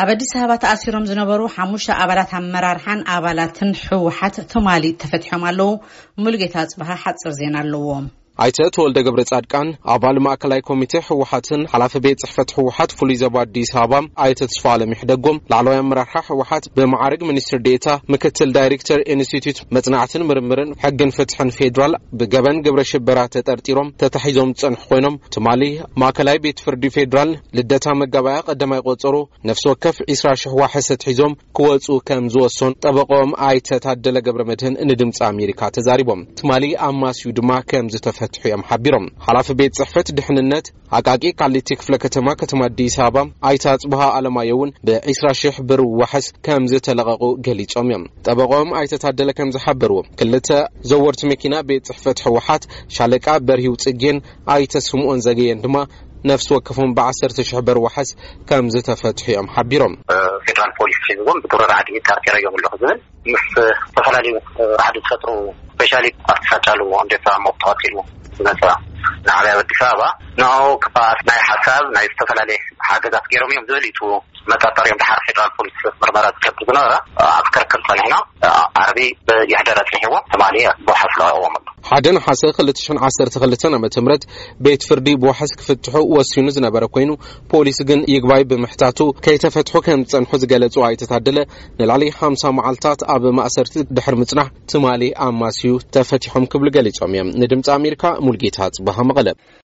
ኣብ ኣዲስ ኣበባ ተኣሲሮም ዝነበሩ ሓሙሽተ ኣባላት ኣመራርሓን ኣባላትን ህወሓት ትማሊ ተፈቲሖም ኣለዉ። ሙሉጌታ ኣጽብሃ ሓጽር ዜና ኣለዎ። ኣይተ ተወልደ ገብረ ጻድቃን፣ ኣባል ማእከላይ ኮሚቴ ህወሓትን ሓላፊ ቤት ጽሕፈት ህወሓት ፍሉይ ዞባ ኣዲስ ኣበባ ኣይተ ተስፋ ኣለም ይሕደጎም፣ ላዕለዋይ ኣመራርሓ ህወሓት ብመዓርግ ሚኒስትር ዴኤታ፣ ምክትል ዳይሬክተር ኢንስቲትዩት መጽናዕትን ምርምርን ሕግን ፍትሕን ፌዴራል፣ ብገበን ግብረ ሽበራ ተጠርጢሮም ተታሒዞም ዝጸንሑ ኮይኖም፣ ትማሊ ማእከላይ ቤት ፍርዲ ፌዴራል ልደታ መጋባያ ቀዳማይ ቆጸሮ ነፍሲ ወከፍ ዒስራ ሽሕ ዋሕስ ኣትሒዞም ክወጹ ከም ዝወሰኑ ጠበቆም ኣይተ ታደለ ገብረ መድህን ንድምጺ ኣሜሪካ ተዛሪቦም። ትማሊ ኣማስዩ ድማ ከም ዝተፈትሑ እዮም ሓቢሮም። ሓላፊ ቤት ጽሕፈት ድሕንነት ኣቃቂ ቃሊቲ ክፍለ ከተማ፣ ከተማ ኣዲስ ኣበባ ኣይተ ኣጽብሃ ኣለማዮ እውን ብዒስራ ሽሕ ብር ዋሕስ ከም ዝተለቐቑ ገሊጾም እዮም። ጠበቆም ኣይተ ታደለ ከም ዝሓበርዎ፣ ክልተ ዘወርቲ መኪና ቤት ጽሕፈት ህወሓት ሻለቃ በርሂው ጽጌን ኣይተ ስምኦን ዘገየን ድማ ነፍሲ ወከፎም ብዓሰርተ ሽሕ ብር ዋሕስ ከም ዝተፈትሑ እዮም ሓቢሮም። ፌደራል ፖሊስ ሒዝዎም ብግብረ ራዕዲ ጠርጢረዮም ኣለኹ ዝብል ምስ ዝተፈላለዩ ራዕዲ ዝፈጥሩ፣ ስፔሻሊ ኣብቲ ሳጫሉ እንዴት መብት ተቐቲሉ ዝመፀ ንዓብያ ኣዲስ ኣበባ ንኡ ክበኣስ ናይ ሓሳብ ናይ ዝተፈላለየ ሓገዛት ገይሮም እዮም ዝብል እዩ መጠርጠሪኦም። ድሓር ፌደራል ፖሊስ ምርመራ ዝገብር ዝነበረ ኣብ ክርክር ጸኒሕና ዓርቢ ይሕደር ኣጽኒሕዎ ትማሊ ብዋሕስ ለቒቕዎም ኣሎ። ሓደ ነሓሰ ክልተ ሽሕን ዓሰርተ ክልተን ዓመተ ምህረት ቤት ፍርዲ ብዋሕስ ክፍትሑ ወሲኑ ዝነበረ ኮይኑ፣ ፖሊስ ግን ይግባይ ብምሕታቱ ከይተፈትሑ ከም ዝጸንሑ ዝገለጹ ኣይተ ታደለ፣ ንልዕሊ ሓምሳ መዓልታት ኣብ ማእሰርቲ ድሕሪ ምጽናሕ ትማሊ ኣማስዩ ተፈቲሖም ክብሉ ገሊጾም እዮም። ንድምጺ ኣሜሪካ ሙልጌታ ጽባሃ መቐለ።